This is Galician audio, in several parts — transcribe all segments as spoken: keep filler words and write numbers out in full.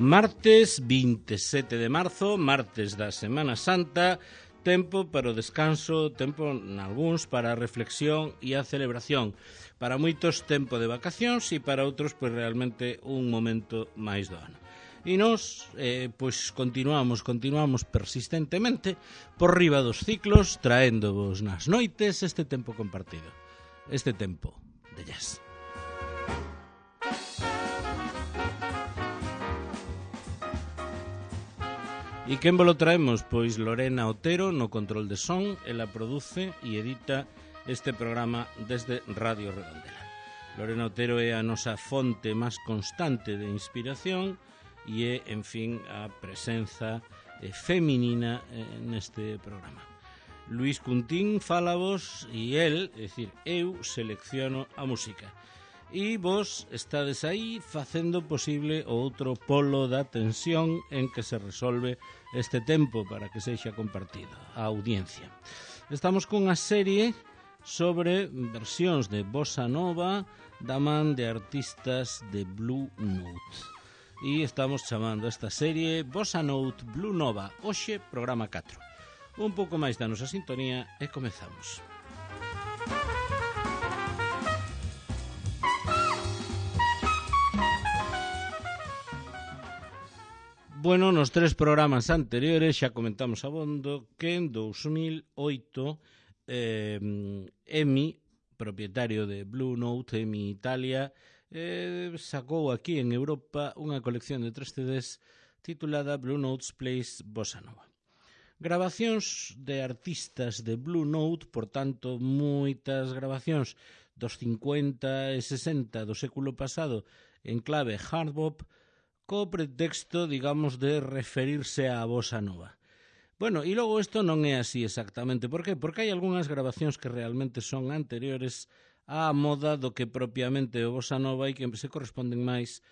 Martes vinte e sete de marzo, martes da Semana Santa, tempo para o descanso, tempo nalgúns para a reflexión e a celebración. Para moitos tempo de vacacións e para outros pois realmente un momento máis do ano. E nós, eh, pois continuamos, continuamos persistentemente por riba dos ciclos, traéndovos nas noites este tempo compartido, este tempo de jazz. E quen vos lo traemos? Pois Lorena Otero no control de son, ela produce e edita este programa desde Radio Redondela. Lorena Otero é a nosa fonte máis constante de inspiración e é, en fin, a presenza eh, feminina eh, neste programa. Luís Cuntín fálavos e el, é dicir, eu selecciono a música. E vos estades aí facendo posible o outro polo da tensión en que se resolve este tempo para que sexa compartido, a audiencia. Estamos cunha serie sobre versións de bossa nova da man de artistas de Blue Note. E estamos chamando esta serie Bossa Note Blue Nova, hoxe programa catro. Un pouco máis da nosa sintonía e comezamos. Bueno, nos tres programas anteriores xa comentamos abondo que en dous mil oito eh, EMI, propietario de Blue Note, EMI Italia, eh, sacou aquí en Europa unha colección de tres C Ds titulada Blue Notes Plays Bossa Nova. Grabacións de artistas de Blue Note, por tanto, moitas grabacións dos cincuenta e sesenta do século pasado en clave hard bop, co pretexto, digamos, de referirse á bossa nova. Bueno, e logo isto non é así exactamente. Por que? Porque hai algunhas grabacións que realmente son anteriores á moda do que propiamente o bossa nova e que se corresponden máis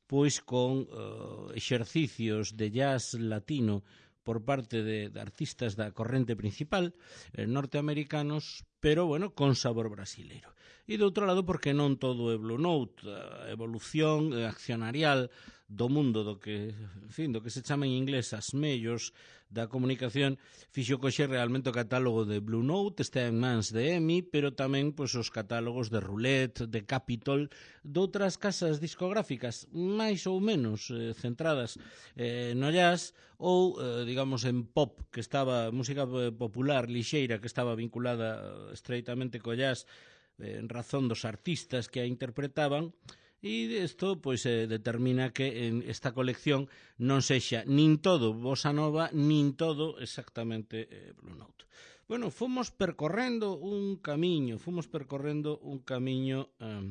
pois con uh, exercicios de jazz latino por parte de, de artistas da corrente principal, eh, norteamericanos, pero, bueno, con sabor brasileiro. E, do outro lado, porque non todo é Blue Note, a evolución accionarial do mundo do que, en fin, do que se chama en inglés as mellos da comunicación, fixo coxe realmente o catálogo de Blue Note, está en mans de EMI, pero tamén pois, os catálogos de Roulette, de Capitol, de outras casas discográficas, máis ou menos eh, centradas eh, no jazz, ou, eh, digamos, en pop, que estaba, música popular, lixeira, que estaba vinculada eh, estreitamente co jazz, eh, en razón dos artistas que a interpretaban. E isto pois, eh, determina que en esta colección non sexa nin todo bossa nova, nin todo exactamente eh, Blue Note. Bueno, fomos percorrendo un camiño, fomos percorrendo un camiño eh,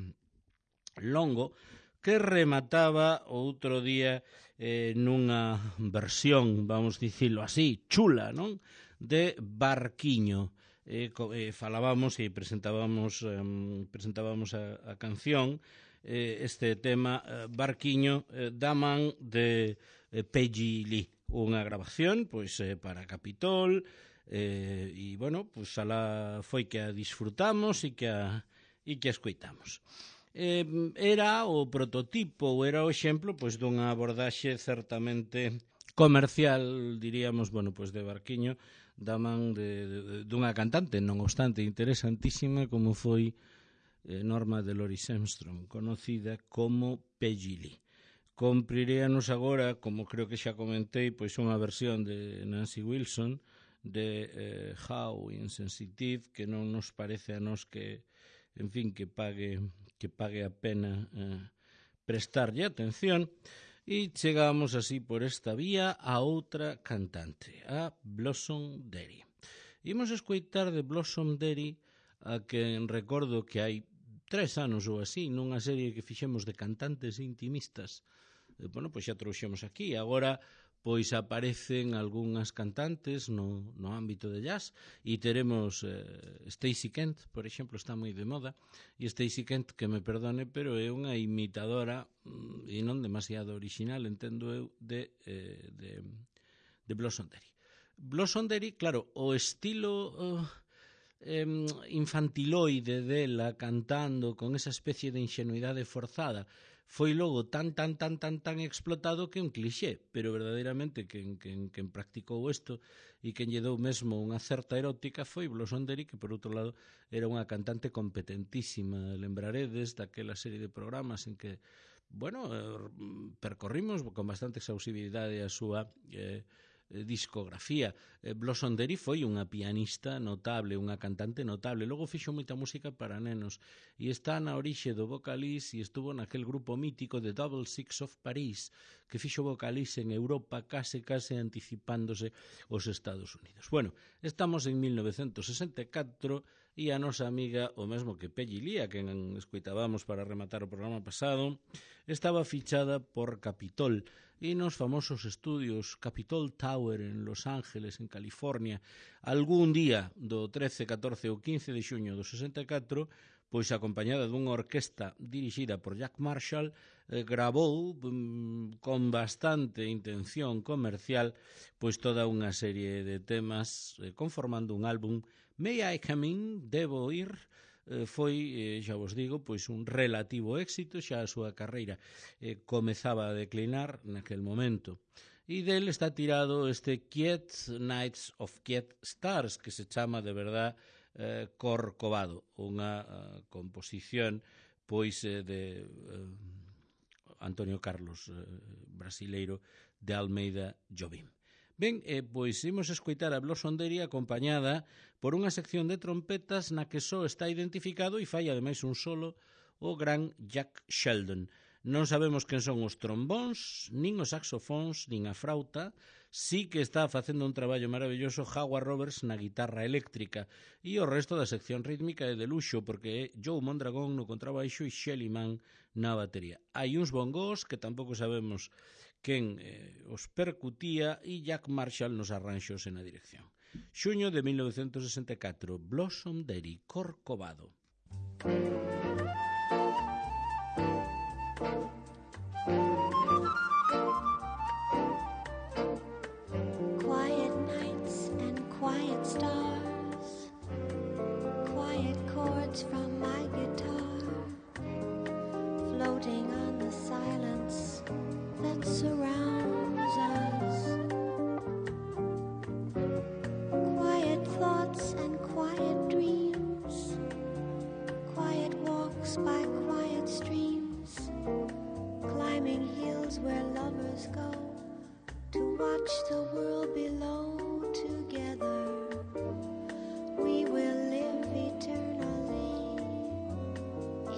longo que remataba outro día eh, nunha versión, vamos dicilo así, chula, non? De Barquiño. Eh, eh, falábamos e presentábamos, eh, presentábamos a, a canción, este tema Barquiño da man de Peggy Lee, unha grabación pois para Capitol e eh, bueno, pois alá foi que a disfrutamos e que a e que a escoitamos. Eh, era o prototipo, ou era o exemplo pois dunha abordaxe certamente comercial, diríamos, bueno, pois de Barquiño da man de, de, de dunha cantante, non obstante interesantísima como foi Norma Deloris Armstrong, conocida como Peggy Lee. Compriríanos agora, como creo que xa comentei, pois unha versión de Nancy Wilson de eh, How Insensitive, que non nos parece a nos que, en fin, que pague que pague a pena eh, prestarlle atención. E chegamos así por esta vía a outra cantante, a Blossom Dery. Imos escoitar de Blossom Dery a que recordo que hai tres anos ou así, nunha serie que fixemos de cantantes intimistas. Eh, bueno, pois xa trouxemos aquí. Agora, pois aparecen algunhas cantantes no, no ámbito de jazz e teremos eh, Stacey Kent, por exemplo, está moi de moda, e Stacey Kent, que me perdone, pero é unha imitadora mm, e non demasiado original, entendo eu, de, eh, de, de Blossom Dery. Blossom Dery, claro, o estilo Uh, Eh, infantiloide dela cantando con esa especie de ingenuidade forzada foi logo tan, tan, tan, tan, tan explotado que un clixé, pero verdadeiramente quen, quen, quen practicou isto e quen lle dou mesmo unha certa erótica foi Blossonderi, que por outro lado era unha cantante competentísima. Lembraredes daquela serie de programas en que, bueno, percorrimos con bastante exhaustividade a súa eh, discografía. eh, Blossonderi foi unha pianista notable, unha cantante notable, logo fixo moita música para nenos e está na orixe do Vocalis e estuvo naquel grupo mítico de Double Six of Paris, que fixo Vocalis en Europa case case anticipándose aos Estados Unidos. Bueno, estamos en mil novecentos sesenta e catro e a nosa amiga, o mesmo que Pelli Lía, que escoitábamos para rematar o programa pasado, estaba fichada por Capitol e nos famosos estudios Capitol Tower en Los Ángeles, en California, algún día do trece, catorce ou quince de xuño do sesenta e catro, pois acompañada dunha orquesta dirixida por Jack Marshall, eh, gravou mm, con bastante intención comercial pois toda unha serie de temas eh, conformando un álbum. May I Come In? Debo Ir? Eh, foi, eh, xa vos digo, pois un relativo éxito, xa a súa carreira eh, comezaba a declinar naquel momento. E del está tirado este Quiet Nights of Quiet Stars, que se chama de verdad eh, Corcovado, unha uh, composición pois eh, de eh, Antonio Carlos, eh, brasileiro de Almeida Jobim. Ben, eh, pois imos escoitar a Blossonderi acompañada por unha sección de trompetas na que só está identificado e fai ademais un solo o gran Jack Sheldon. Non sabemos quen son os trombóns, nin os saxofóns, nin a frauta. Sí que está facendo un traballo maravilloso Howard Roberts na guitarra eléctrica e o resto da sección rítmica é de luxo porque é Joe Mondragón no contrabaixo e Shelly Mann na batería. Hai uns bongos que tampouco sabemos quen eh, os percutía e Jack Marshall nos arranxos e na dirección. Xuño de mil novecentos sesenta e catro, Blossonderi, Corcovado. Quiet nights and quiet stars, quiet chords from my guitar, floating on the silence that surrounds us. Quiet thoughts and quiet dreams, quiet walks by quiet streams, climbing hills where lovers go to watch the world below together. We will live eternally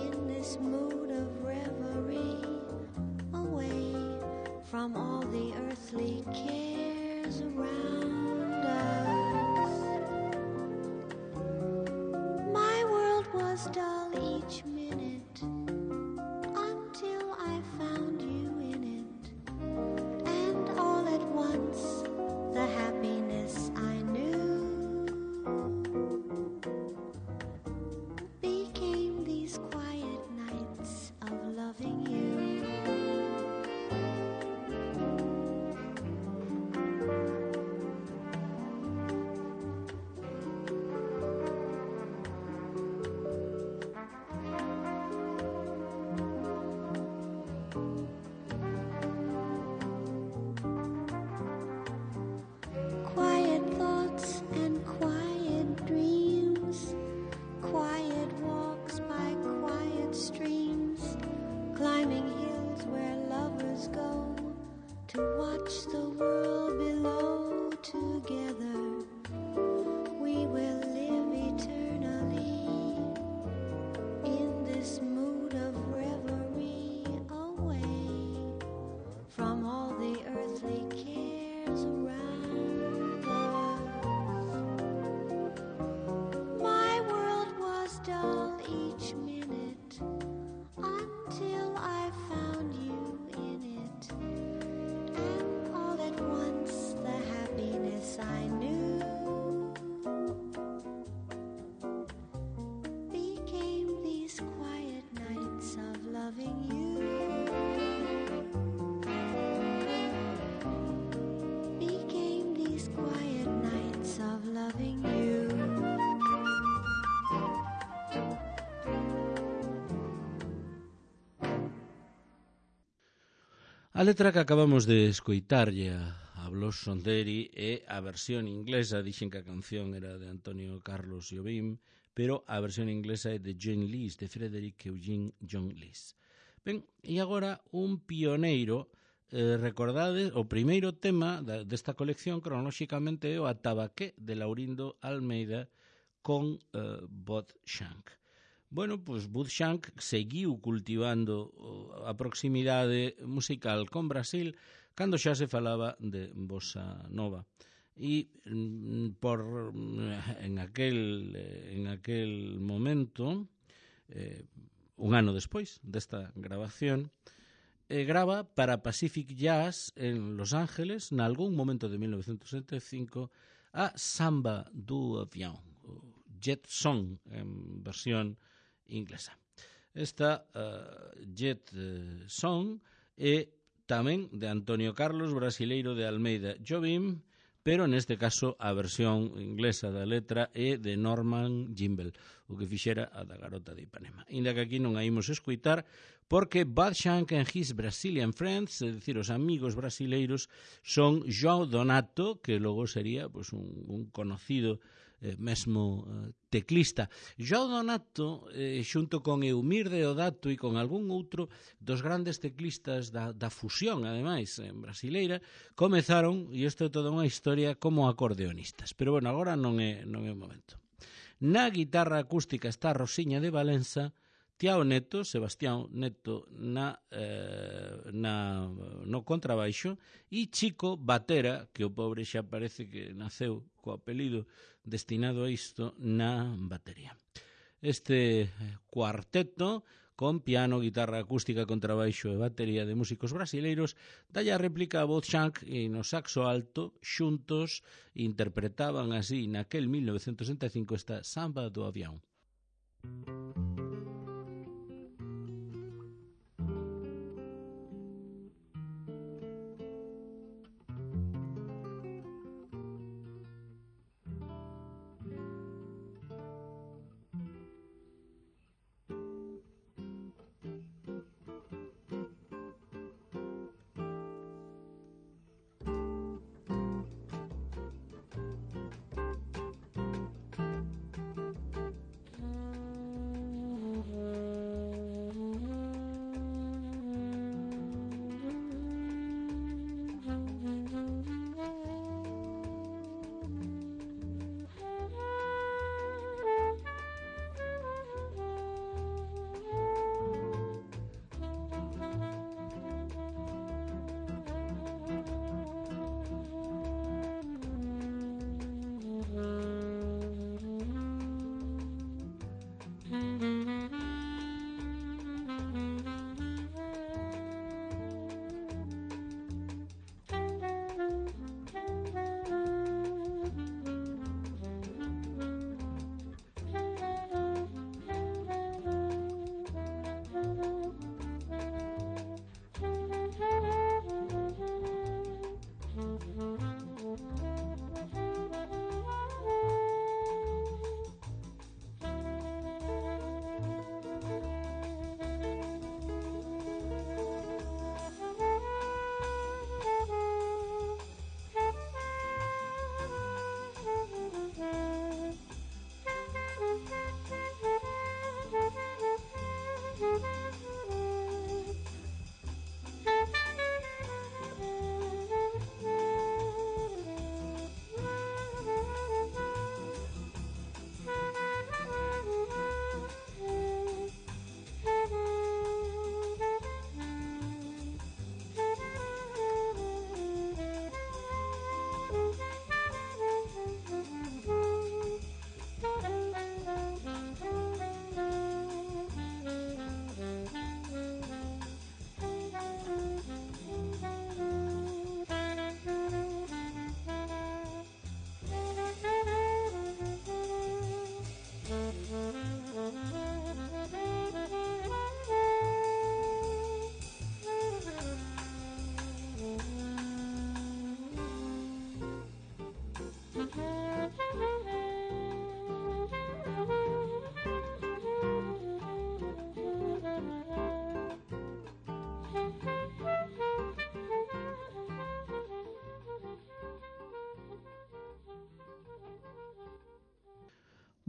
in this mood of reverie, away from all the earthly cares around us. My world was dull each minute until I found you in it, and all at once A letra que acabamos de escoitarlle a, a Blos Sonderi é a versión inglesa. Dixen que a canción era de Antonio Carlos Jobim, pero a versión inglesa é de John Lees, de Frederick Eugene John Lees. Ben, e agora un pioneiro, eh, recordade, o primeiro tema da, desta colección cronolóxicamente é o Atabaqué de Laurindo Almeida con eh, Bud Shank. Bueno, pois Bud Shank seguiu cultivando a proximidade musical con Brasil cando xa se falaba de bossa nova. E por en aquel en aquel momento, eh, un ano despois desta grabación, eh, grava para Pacific Jazz en Los Ángeles, nalgún momento de mil novecentos setenta e cinco, a Samba do Avião, o Jet Song en versión inglesa. Esta uh, Jet uh, Song é tamén de Antonio Carlos, brasileiro de Almeida Jobim, pero neste caso a versión inglesa da letra é de Norman Gimbel, o que fixera a da Garota de Ipanema. Inda que aquí non a imos escuitar, porque Bud Shank and his Brazilian friends, é dicir, os amigos brasileiros, son João Donato, que logo sería pues, un, un conocido eh, mesmo eh, teclista. João Donato, eh, xunto con Eumir Deodato e con algún outro dos grandes teclistas da, da fusión, ademais, en brasileira, comezaron, e isto é toda unha historia, como acordeonistas. Pero, bueno, agora non é, non é o momento. Na guitarra acústica está Rosiña de Valença, Tiao Neto, Sebastián Neto na, eh, na, no contrabaixo, e Chico Batera, que o pobre xa parece que naceu co apelido destinado a isto, na batería. Este cuarteto, con piano, guitarra acústica, contrabaixo e batería de músicos brasileiros, dalle a réplica a Bud Shank e no saxo alto, xuntos, interpretaban así naquel mil novecentos sesenta e cinco esta Samba do Avião.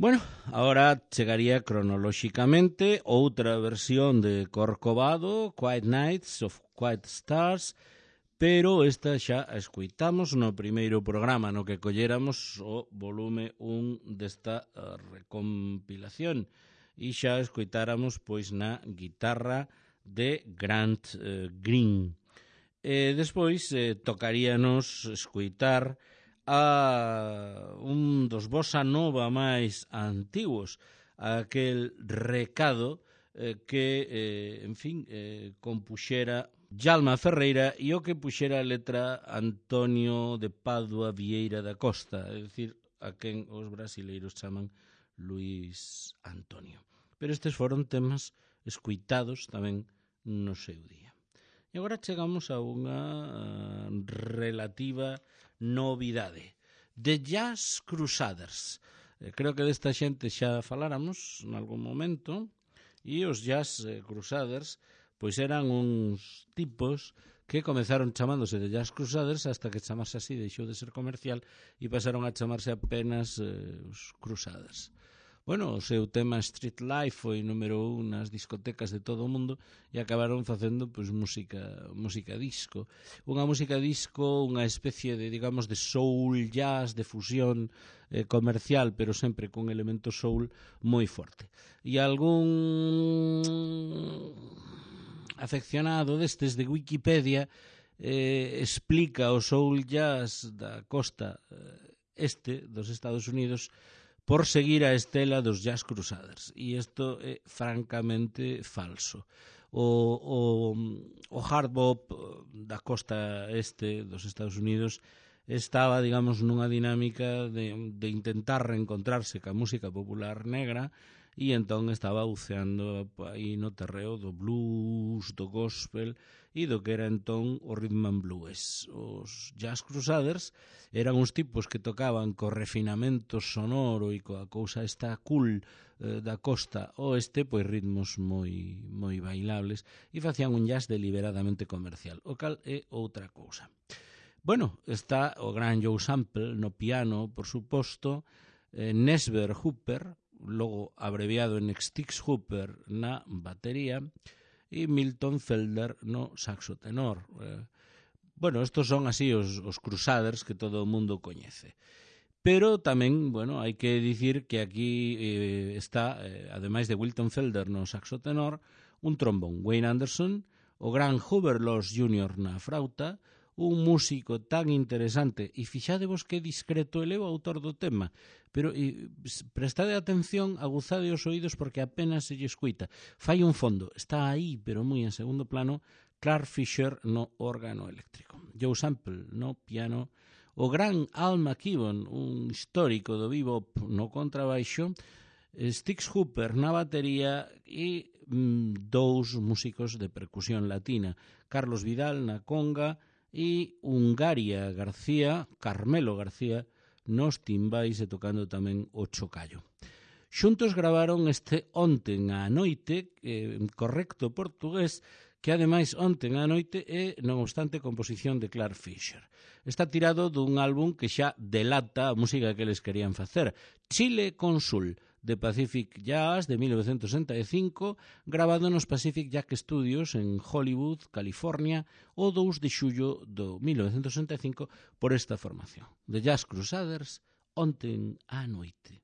Bueno, agora chegaría cronolóxicamente outra versión de Corcovado, Quiet Nights of Quiet Stars, pero esta xa a escoitamos no primeiro programa no que colléramos o volume un desta uh, recompilación e xa escoitáramos pois na guitarra de Grant uh, Green. E despois eh, tocaríanos escoitar a un dos bossa nova máis antigos, aquel recado eh, que, eh, en fin, eh, compuxera Djalma Ferreira e o que puxera a letra Antonio de Padua Vieira da Costa, é dicir, a quen os brasileiros chaman Luis Antonio. Pero estes foron temas escuitados tamén no seu día. E agora chegamos a unha relativa novidade. The Jazz Crusaders. Creo que desta xente xa faláramos en algún momento, e os Jazz Crusaders pois eran uns tipos que comezaron chamándose de Jazz Crusaders hasta que chamarse así deixou de ser comercial e pasaron a chamarse apenas eh, os Crusaders. Bueno, o seu tema Street Life foi número un nas discotecas de todo o mundo e acabaron facendo pois música, música disco. Unha música disco, unha especie de, digamos, de soul jazz, de fusión eh, comercial, pero sempre con elemento soul moi forte. E algún afeccionado destes de Wikipedia eh, explica o soul jazz da costa eh, este dos Estados Unidos por seguir a estela dos Jazz Crusaders, e isto é francamente falso. O, o, o hard bop da costa este dos Estados Unidos estaba, digamos, nunha dinámica de, de intentar reencontrarse ca música popular negra, e entón estaba buceando aí no terreo do blues, do gospel e do que era entón o rhythm and blues. Os Jazz Crusaders eran uns tipos que tocaban co refinamento sonoro e coa cousa esta cool eh, da costa oeste, pois ritmos moi moi bailables, e facían un jazz deliberadamente comercial, o cal é outra cousa. Bueno, está o gran Joe Sample no piano, por suposto, eh, Nesber Hooper, logo abreviado en Stix Hooper na batería, e Milton Felder no saxo tenor. Eh, bueno, estos son así os, os Crusaders que todo o mundo coñece. Pero tamén, bueno, hai que dicir que aquí eh, está, eh, ademais de Wilton Felder no saxo tenor, un trombón, Wayne Anderson, o gran Hubert Laws júnior na frauta, un músico tan interesante, e fixadevos que discreto eleva o autor do tema, pero e, prestade atención, aguzade os oídos porque apenas se lle escuita. Fai un fondo, está aí, pero moi en segundo plano, Clark Fisher no órgano eléctrico, Joe Sample no piano, o gran Al McKibben, un histórico do bebop no contrabaixo, Stix Hooper na batería e mm, dous músicos de percusión latina, Carlos Vidal na conga e Hungaria García, Carmelo García, nos timbais e tocando tamén o chocallo. Xuntos gravaron este Onten á noite, eh, correcto portugués, que ademais Onten á noite é, non obstante, composición de Clark Fisher. Está tirado dun álbum que xa delata a música que eles querían facer, Chile Consul, de Pacific Jazz de mil novecentos sesenta e cinco, grabado nos Pacific Jazz Studios en Hollywood, California, o dous de xullo do mil novecentos sesenta e cinco por esta formación. The Jazz Crusaders, Onten á noite.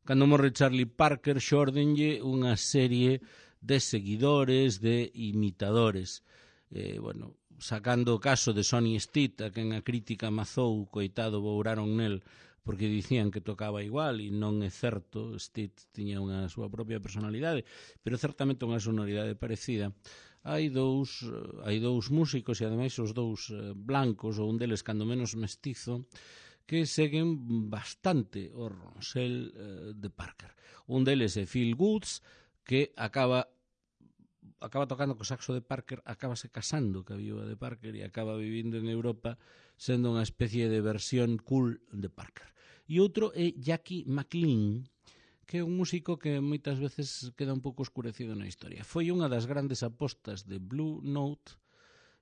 Cando morre Charlie Parker, xórdenlle unha serie de seguidores, de imitadores. Eh, bueno, sacando o caso de Sonny Stitt, a quen a crítica amazou, coitado, bouraron nel, porque dicían que tocaba igual, e non é certo. Stitt tiña unha súa propia personalidade, pero certamente unha sonoridade parecida. Hai dous, hai dous músicos, e ademais os dous blancos, ou un deles cando menos mestizo, que seguen bastante o ronsel eh, de Parker. Un deles é Phil Woods, que acaba acaba tocando co saxo de Parker, acabase casando ca viúva de Parker e acaba vivindo en Europa sendo unha especie de versión cool de Parker. E outro é Jackie McLean, que é un músico que moitas veces queda un pouco escurecido na historia. Foi unha das grandes apostas de Blue Note.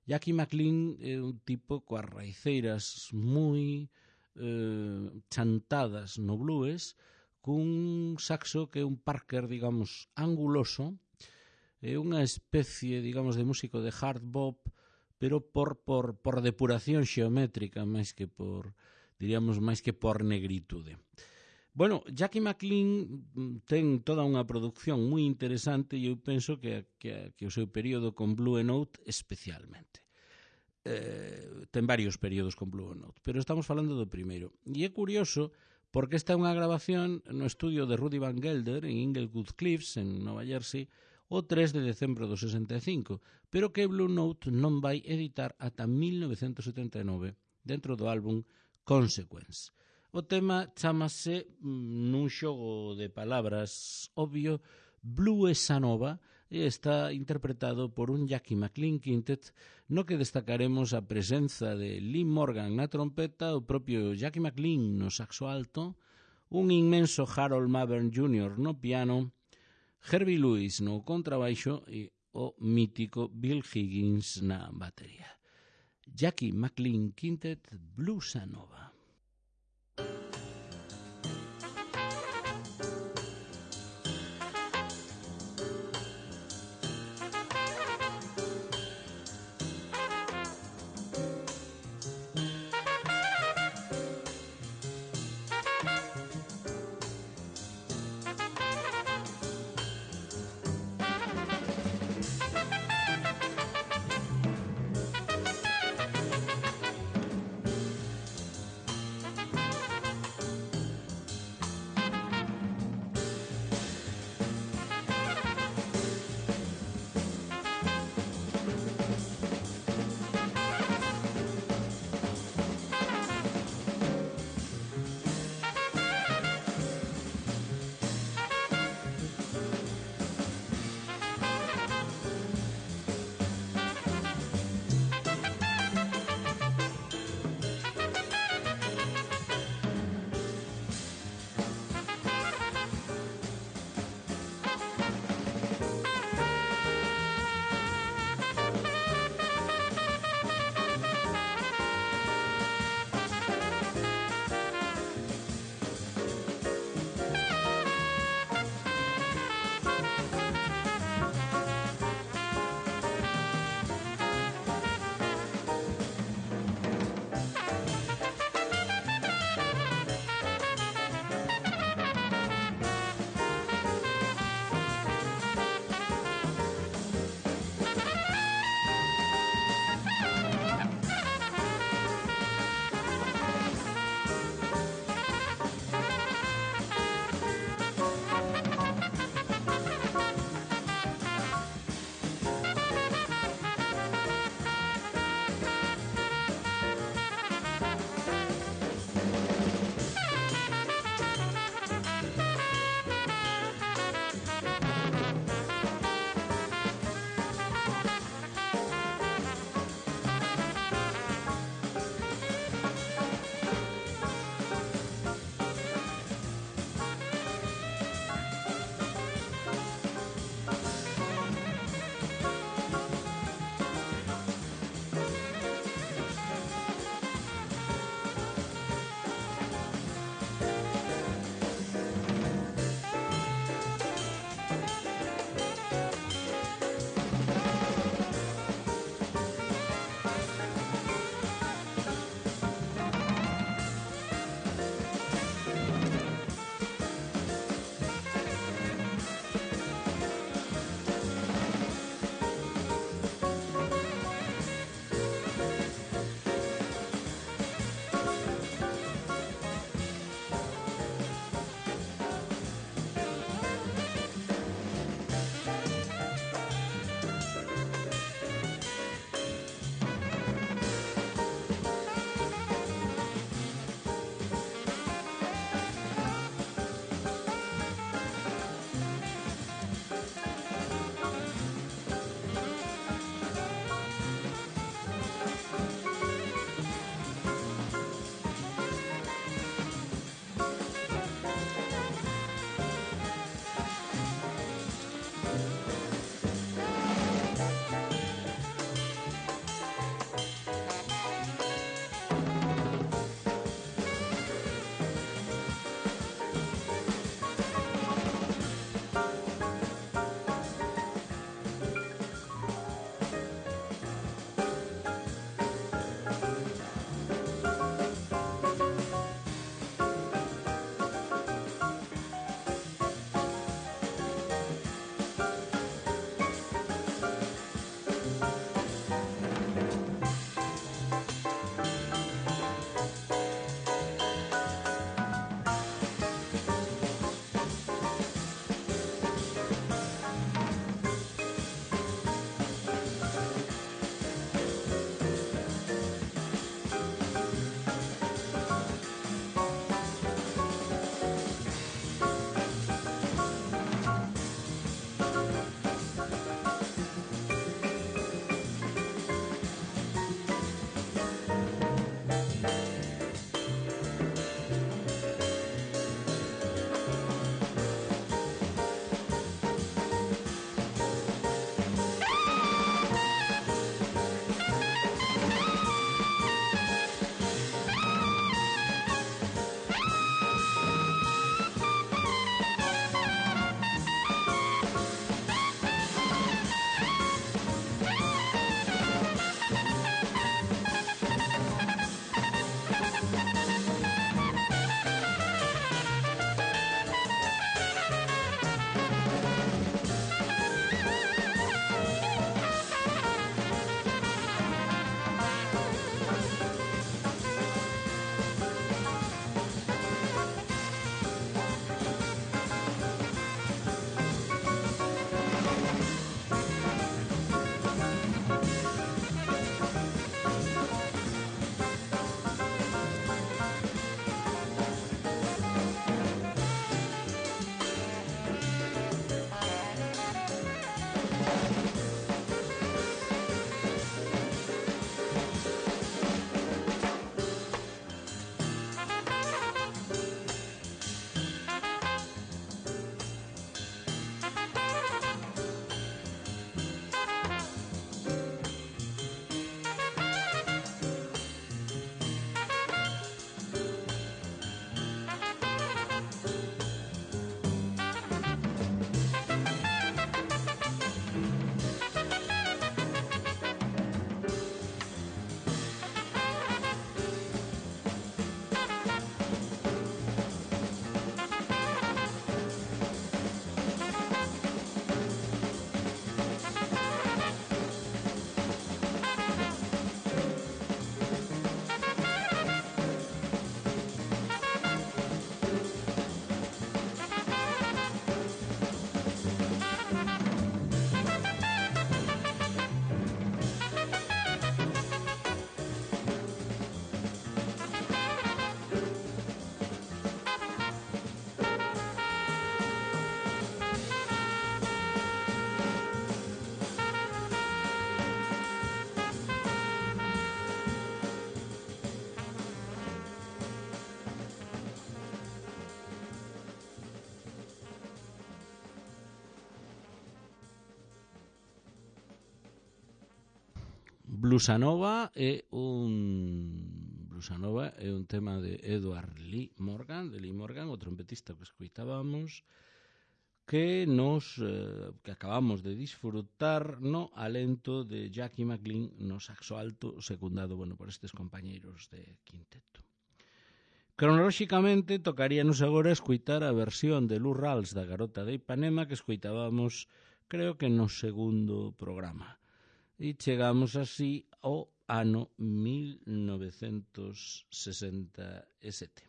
Jackie McLean é un tipo coas raiceiras moi eh, chantadas no blues, cun saxo que é un Parker, digamos, anguloso, é unha especie, digamos, de músico de hard bop, pero por, por, por depuración xeométrica, máis que por, diríamos, máis que por negritude. Bueno, Jackie McLean ten toda unha producción moi interesante e eu penso que, que, que o seu período con Blue Note especialmente. Eh, ten varios períodos con Blue Note, pero estamos falando do primeiro. E é curioso porque esta é unha grabación no estudio de Rudy Van Gelder en Inglewood Cliffs, en Nova Jersey, o tres de decembro do sesenta e cinco, pero que Blue Note non vai editar ata mil novecentos setenta e nove dentro do álbum Consequence. O tema chamase, nun xogo de palabras obvio, Bluesa Nova, e está interpretado por un Jackie McLean Quintet, no que destacaremos a presenza de Lee Morgan na trompeta, o propio Jackie McLean no saxo alto, un inmenso Harold Mavern júnior no piano, Herbie Lewis no contrabaixo e o mítico Bill Higgins na batería. Jackie McLean Quintet, Bluesa Nova. Bluesa Nova é un Bluesa Nova é un tema de Edward Lee Morgan, de Lee Morgan, o trompetista que escoitábamos, que nos eh, que acabamos de disfrutar no alento de Jackie McLean no saxo alto, secundado, bueno, por estes compañeiros de quinteto. Cronolóxicamente tocaríanos agora escoitar a versión de Lou Rawls da Garota de Ipanema que escoitábamos, creo que no segundo programa. E chegamos así ao ano mil novecentos sesenta e sete.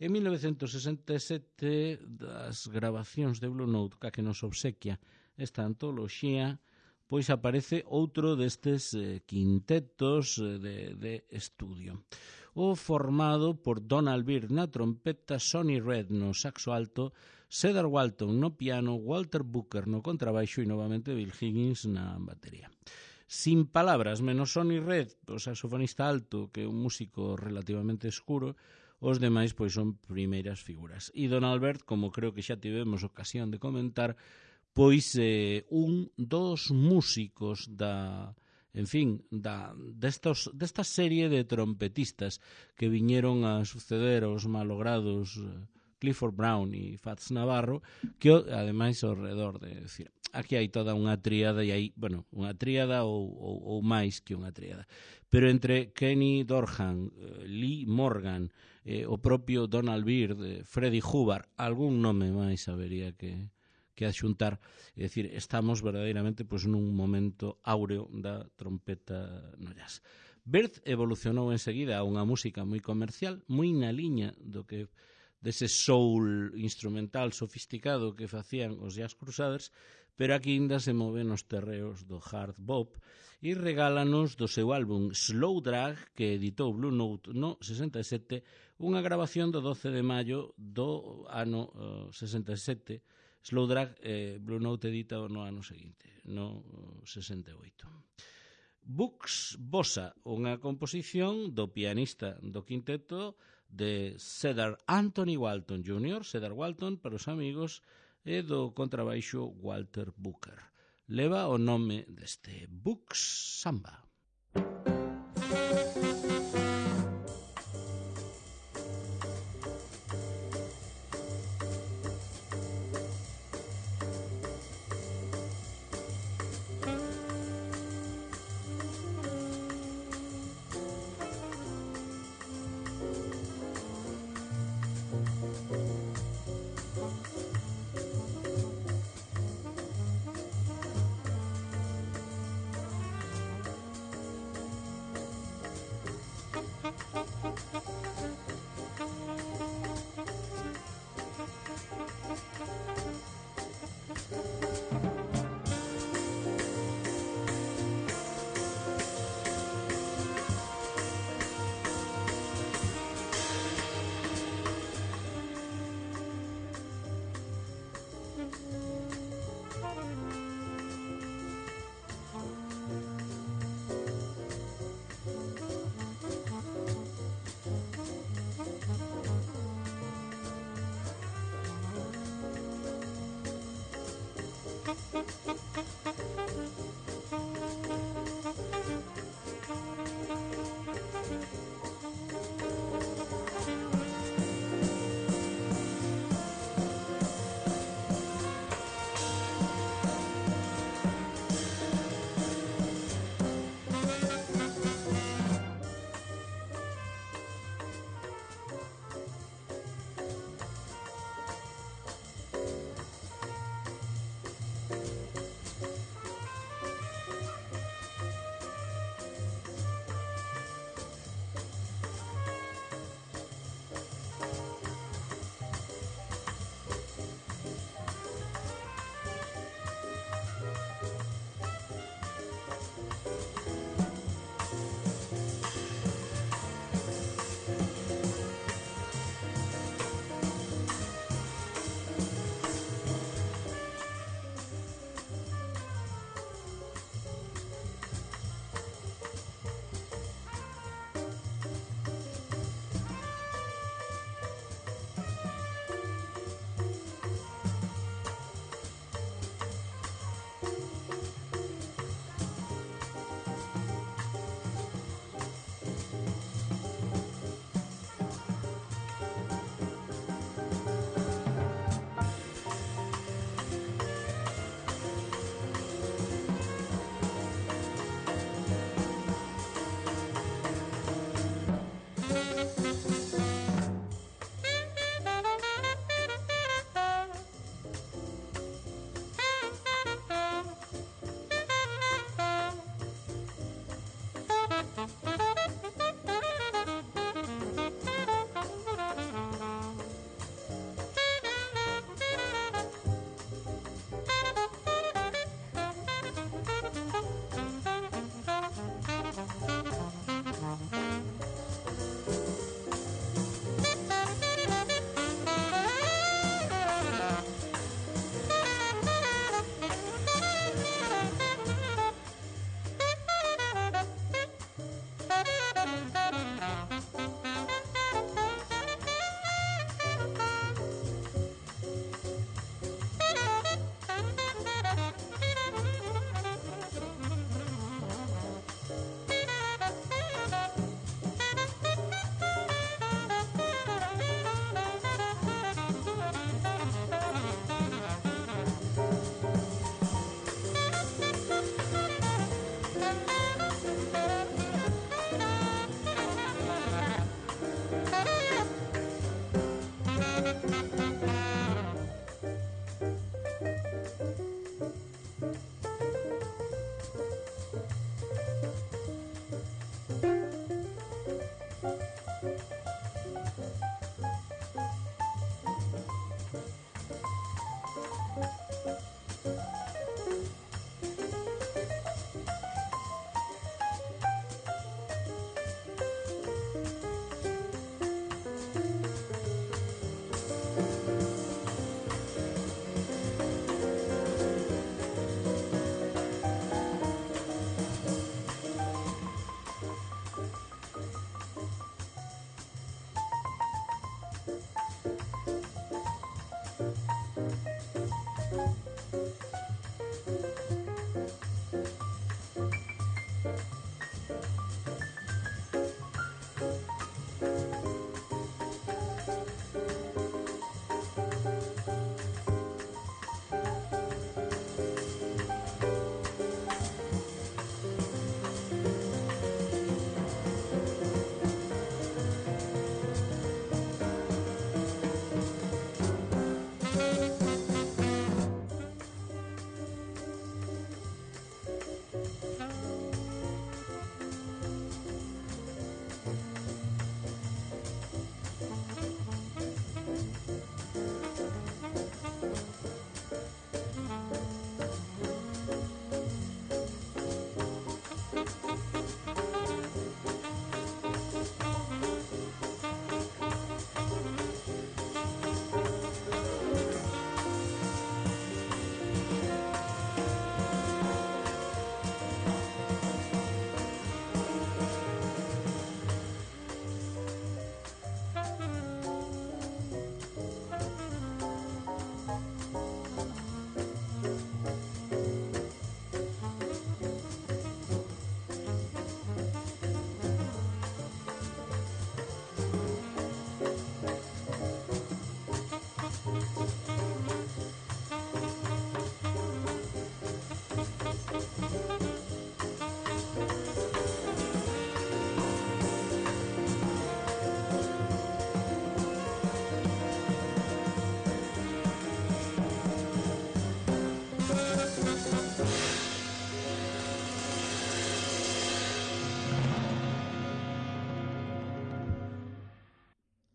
En mil novecentos sesenta e sete, das grabacións de Blue Note ca que nos obsequia esta antoloxía, pois aparece outro destes eh, quintetos eh, de, de estudio. O formado por Donald Byrd na trompeta, Sonny Red no saxo alto, Cedar Walton no piano, Walter Booker no contrabaixo e novamente Bill Higgins na batería. Sin palabras, menos Sonny Red, o saxofonista alto, que é un músico relativamente escuro, os demais pois son primeiras figuras. E Donald Byrd, como creo que xa tivemos ocasión de comentar, pois eh, un dos músicos da... en fin, da, destos, desta serie de trompetistas que viñeron a suceder aos malogrados Clifford Brown e Fats Navarro, que ademais ao redor de decir, aquí hai toda unha tríada e hai, bueno, unha tríada ou, ou, ou máis que unha tríada. Pero entre Kenny Dorham, Lee Morgan, eh, o propio Donald Byrd, eh, Freddie Hubbard, algún nome máis habería que que adxuntar, é dicir, estamos verdadeiramente pois, nun momento áureo da trompeta no jazz. Byrd evolucionou enseguida a unha música moi comercial, moi na liña do que dese soul instrumental sofisticado que facían os Jazz Crusaders, pero aquí ainda se move nos terreos do hard bop e regálanos do seu álbum Slow Drag, que editou Blue Note no sesenta e sete, unha grabación do doce de maio do ano uh, sesenta e sete. Slow Drag, eh, Blue Note edita no ano seguinte, no sesenta e oito. Bux Bossa, unha composición do pianista do quinteto de Cedar Anthony Walton júnior, Cedar Walton para os amigos, e do contrabaixo Walter Booker. Leva o nome deste Bux Samba.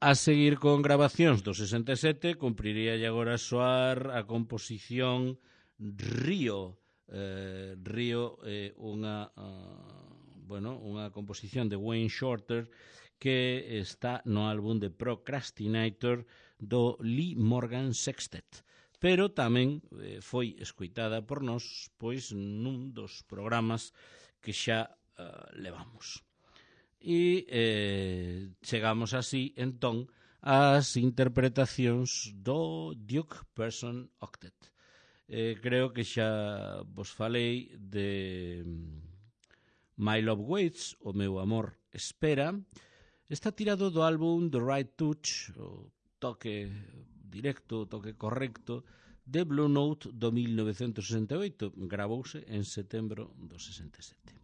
A seguir con grabacións do sesenta e sete, cumpriría agora soar a composición Río. Eh, Río é eh, unha, uh, bueno, unha composición de Wayne Shorter que está no álbum de Procrastinator do Lee Morgan Sextet, pero tamén eh, foi escoitada por nós pois nun dos programas que xa uh, levamos. E eh, chegamos así, entón, ás interpretacións do Duke Person Octet. Eh, creo que xa vos falei de My Love Waits, o meu amor espera. Está tirado do álbum The Right Touch, o toque directo, o toque correcto, de Blue Note do mil novecentos sesenta e oito. Gravouse en setembro do sesenta e sete.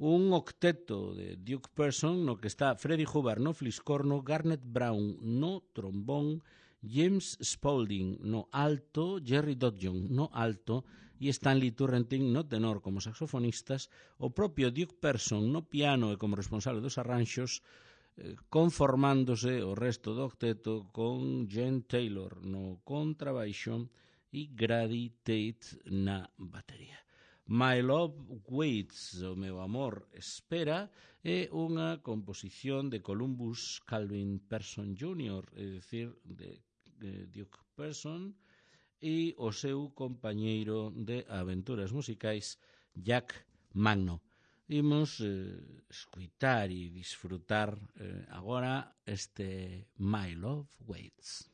Un octeto de Duke Person no que está Freddie Hubbard no fliscorno, Garnet Brown no trombón, James Spaulding no alto, Jerry Dodjon no alto e Stanley Turrentine no tenor como saxofonistas, o propio Duke Person no piano e como responsable dos arranxos, eh, conformándose o resto do octeto con Jen Taylor no contrabaixo e Grady Tate na batería. My Love Waits, o meu amor espera, é unha composición de Columbus Calvin Person júnior, é dicir, de, de Duke Person, e o seu compañeiro de aventuras musicais, Jack Magno. Imos eh, escuitar e disfrutar eh, agora este My Love Waits.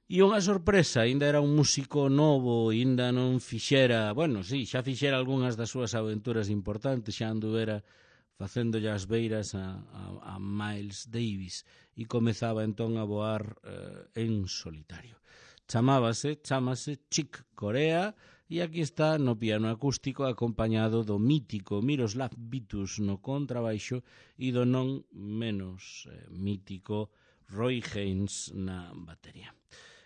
E unha sorpresa, aínda era un músico novo, aínda non fixera, bueno, sí, xa fixera algunhas das súas aventuras importantes, xa anduvera facéndolle as beiras a, a, a Miles Davis e comezaba entón a voar eh, en solitario. Chamábase, chamase Chick Corea e aquí está no piano acústico acompañado do mítico Miroslav Vitus no contrabaixo e do non menos eh, mítico Roy Haynes na batería.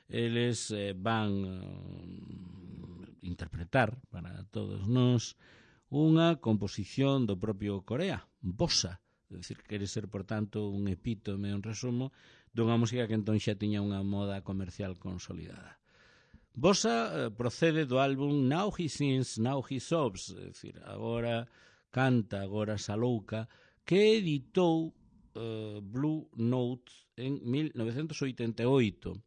Eles eh, van eh, interpretar para todos nós unha composición do propio Corea, Bossa, é dicir, quere ser, por tanto, un epítome, un resumo dunha música que entón xa tiña unha moda comercial consolidada. Bossa eh, procede do álbum Now He Sings, Now He Sobs, é dicir, agora canta, agora salouca, que editou eh, Blue Note en mil novecentos oitenta e oito.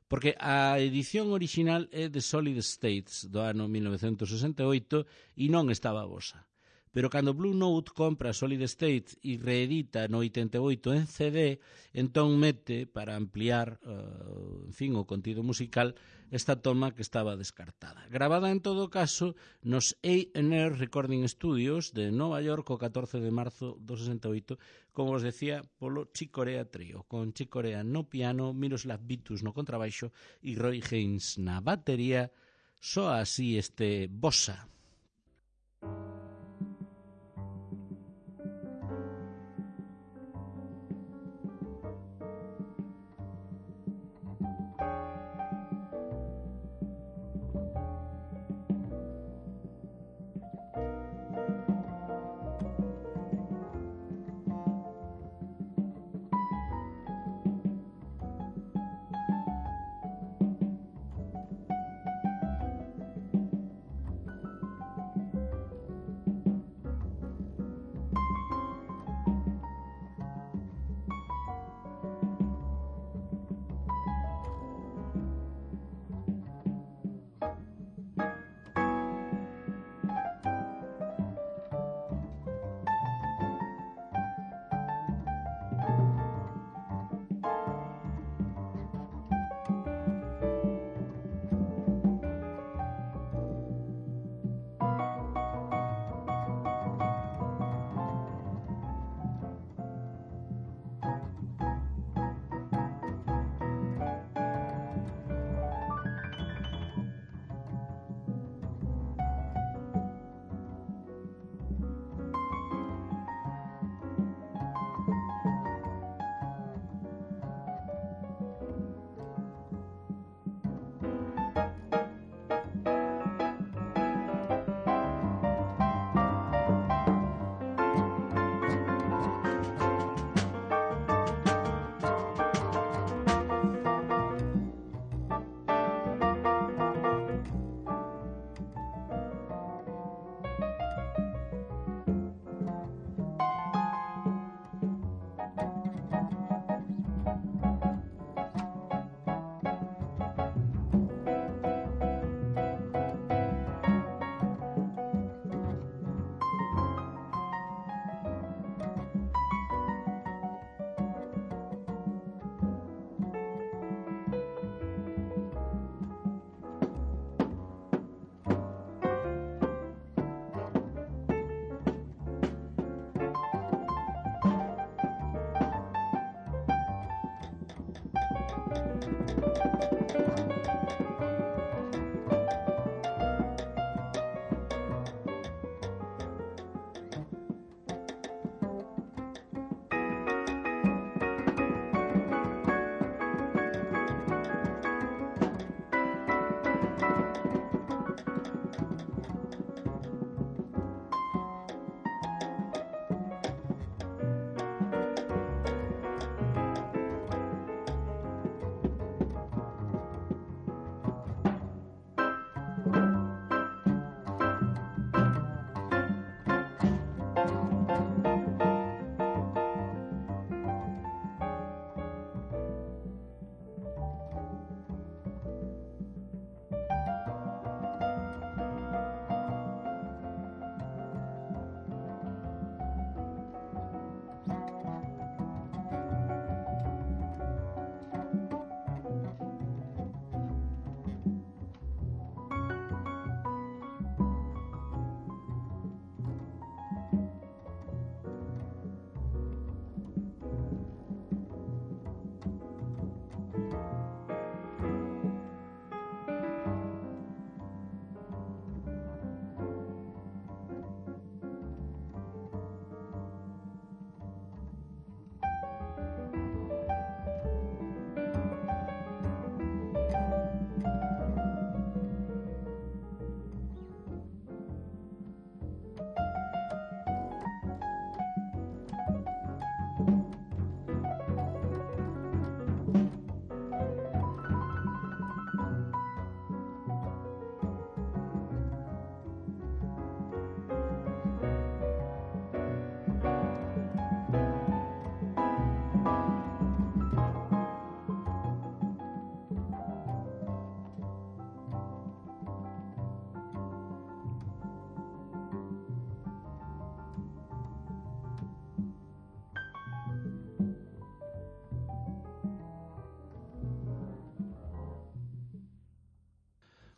Porque a edición original é de Solid States do ano mil novecentos sesenta e oito e non estaba Bossa. Pero cando Blue Note compra Solid States e reedita no oitenta e oito en C D, entón mete para ampliar uh, en fin, o contido musical esta toma que estaba descartada. Gravada en todo caso nos A and R Recording Studios de Nova York o catorce de marzo do sesenta e oito, como os decía, polo Chick Corea Trio, con Chick Corea no piano, Miroslav Vitus no contrabaixo e Roy Haynes na batería. Soa así este Bossa.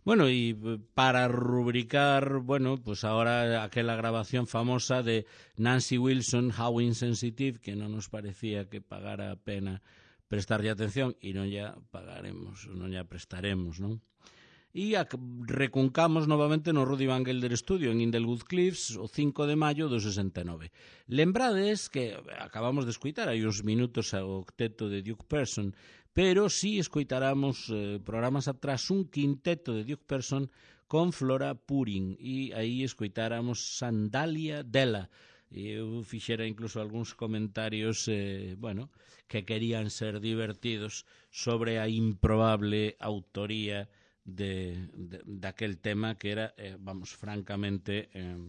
Bueno, y para rubricar, bueno, pues ahora aquella grabación famosa de Nancy Wilson, How Insensitive, que non nos parecía que pagara a pena prestarlle atención, e non ya pagaremos, non ya prestaremos, non? E recuncamos novamente no Rudy Van Gelder Studio en Inglewood Cliffs o cinco de maio do sesenta e nove. Lembrades que acabamos de escuitar hai uns minutos ao octeto de Duke Person, pero si escoitaramos eh, programas atrás un quinteto de Duke Person con Flora Purin, e aí escoitáramos Sandalia Della. E eu fixera incluso algúns comentarios eh, bueno, que querían ser divertidos sobre a improbable autoría de, de, daquel tema que era, eh, vamos, francamente eh,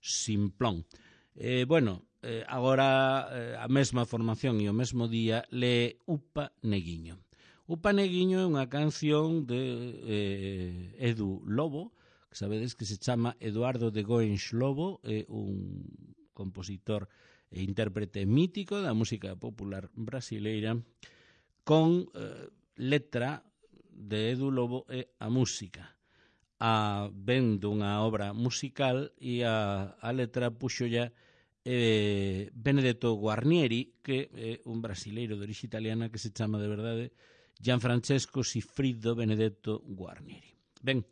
simplón. Eh, bueno, eh, agora eh, a mesma formación e o mesmo día lee Upa Neguiño. Upa Neguiño é unha canción de eh, Edu Lobo, que sabedes que se chama Eduardo de Goens Lobo, é un compositor e intérprete mítico da música popular brasileira, con eh, letra de Edu Lobo e a música. A ven dunha obra musical e a, a letra puxo ya eh, Benedetto Guarnieri, que é un brasileiro de orixe italiana que se chama de verdade Gianfrancesco Sigfrido Benedetto Guarnieri. Ben,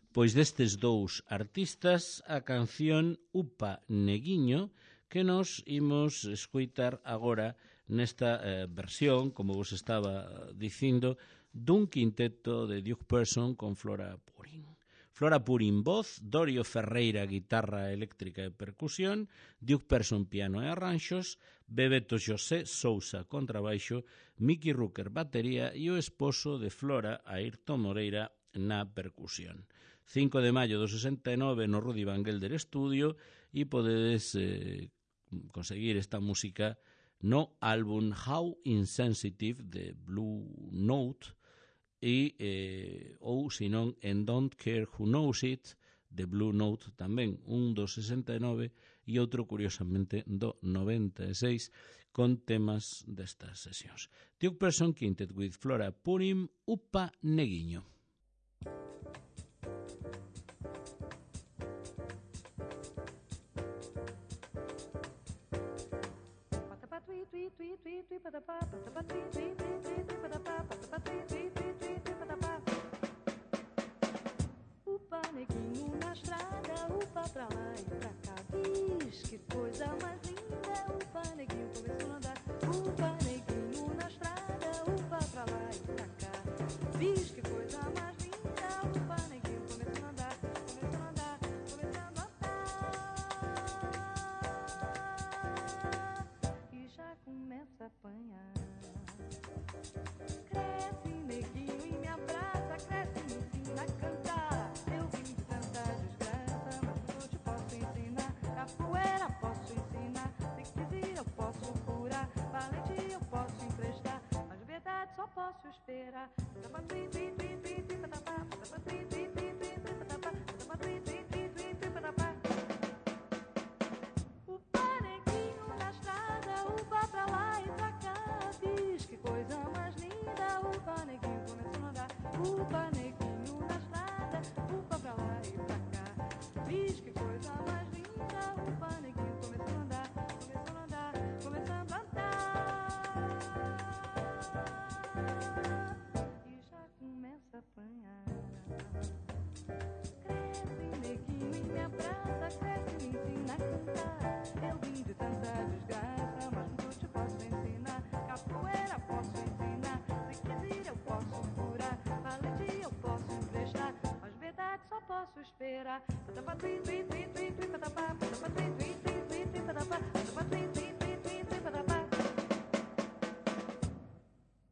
pois destes dous artistas a canción Upa Neguiño, que nos imos escoitar agora nesta eh, versión, como vos estaba dicindo, dun quinteto de Duke Person con Flora Purin. Flora Purin voz, Dorio Ferreira guitarra eléctrica e percusión, Duke Person piano e arranxos, Bebeto José Sousa contrabaixo, Mickey Rooker batería e o esposo de Flora, Ayrton Moreira, na percusión. cinco de maio do sesenta e nove no Rudy Van Gelder Studio, e podedes eh, conseguir esta música no álbum How Insensitive de Blue Note, e eh, ou senón en Don't Care Who Knows It de Blue Note tamén, un do sesenta e nove e outro curiosamente do noventa e seis, con temas destas sesións. Duke Person Quintet with Flora Purim, Upa Neguiño. Upa neguinho na estrada, upa pra lá e pra cá. Diz que coisa mais linda. Upa neguinho começou a andar. Upa neguinho na estrada, upa pra lá e pra cá. Diz que coisa mais linda. Upa neguinho começou a andar, começou a andar, começando a andar. E já começa a apanhar. Cresce neguinho e me abraça, cresce e me ensina a cantar. Eu vim de tanta desgraça, mas eu te posso ensinar. Capoeira posso ensinar, se quiser eu posso curar. Valentia eu posso emprestar, mas verdade só posso esperar. Upa neguinho na estrada, upa pra lá e pra cá. Diz que coisa mais linda. Upa neguinho começou a andar. Upa neguinho na estrada, upa pra lá e pra cá. Diz que coisa mais linda. Upa neguinho começou a andar, começou a andar, começando a andar. E já começa a apanhar. Cresce neguinho e me abraça, cresce e me ensina a cantar. Eu vim de tanta desgraça, mas não te posso ensinar. Capoeira posso ensinar, se quiser eu posso curar. Valentia eu posso emprestar, mas verdade só posso esperar.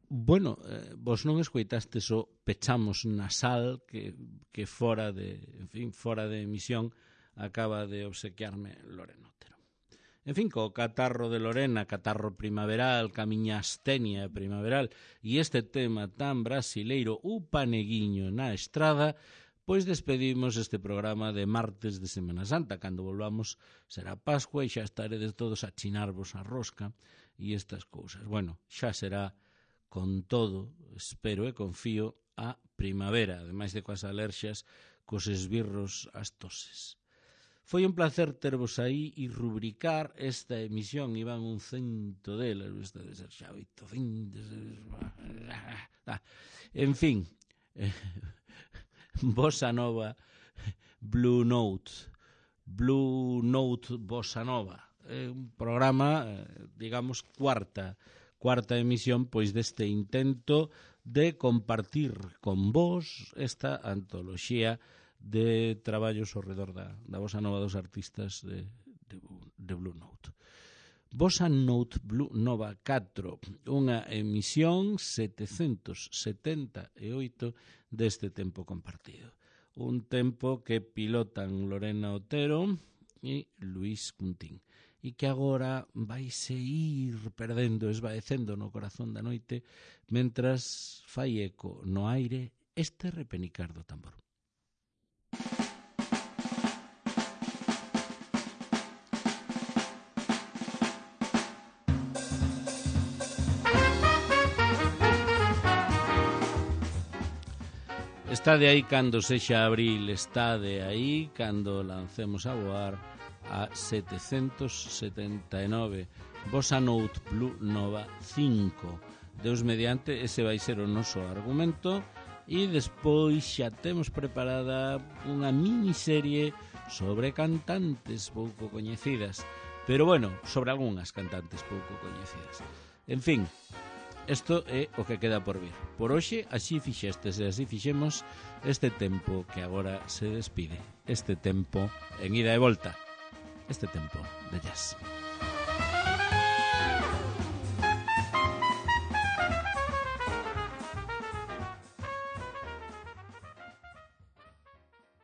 Bueno, eh, vos non escoitastes o Pechamos Nasal que, que fora de, en fin, fora de emisión acaba de obsequiarme Lorena Otero. En fin, co catarro de Lorena, catarro primaveral, camiña astenia primaveral, e este tema tan brasileiro, Upa Neguiño na estrada, pois despedimos este programa de martes de Semana Santa. Cando volvamos será Pascua e xa estaredes todos a chinarvos a rosca e estas cousas. Bueno, xa será con todo, espero e confío, a primavera, ademais de coas alerxias, cos esbirros, as toses. Foi un placer tervos aí e rubricar esta emisión. Iban un cento delas, esta de ser xa oitocentos. En fin, Bossa Nova, Blue Note, Blue Note Bossa Nova. É un programa, digamos, cuarta, cuarta emisión, pois deste intento de compartir con vos esta antoloxía de traballos ao redor da, da Bossa Nova dos artistas de, de, de Blue Note. Bossa Note Blue Nova catro, unha emisión setecentos setenta e oito deste tempo compartido. Un tempo que pilotan Lorena Otero e Luís Cuntín, e que agora vaise ir perdendo, esvaecendo no corazón da noite, mentras fai eco no aire este repenicar do tambor. Está de aí cando sexa abril, está de aí cando lancemos a voar a setecentos setenta e nove Bossa Note Blue Nova cinco. Deus mediante, ese vai ser o noso argumento, e despois xa temos preparada unha miniserie sobre cantantes pouco coñecidas, pero bueno, sobre algunhas cantantes pouco coñecidas. En fin, isto é o que queda por vir. Por hoxe, así fixestes e así fixemos este tempo que agora se despide. Este tempo en ida e volta. Este tempo de jazz.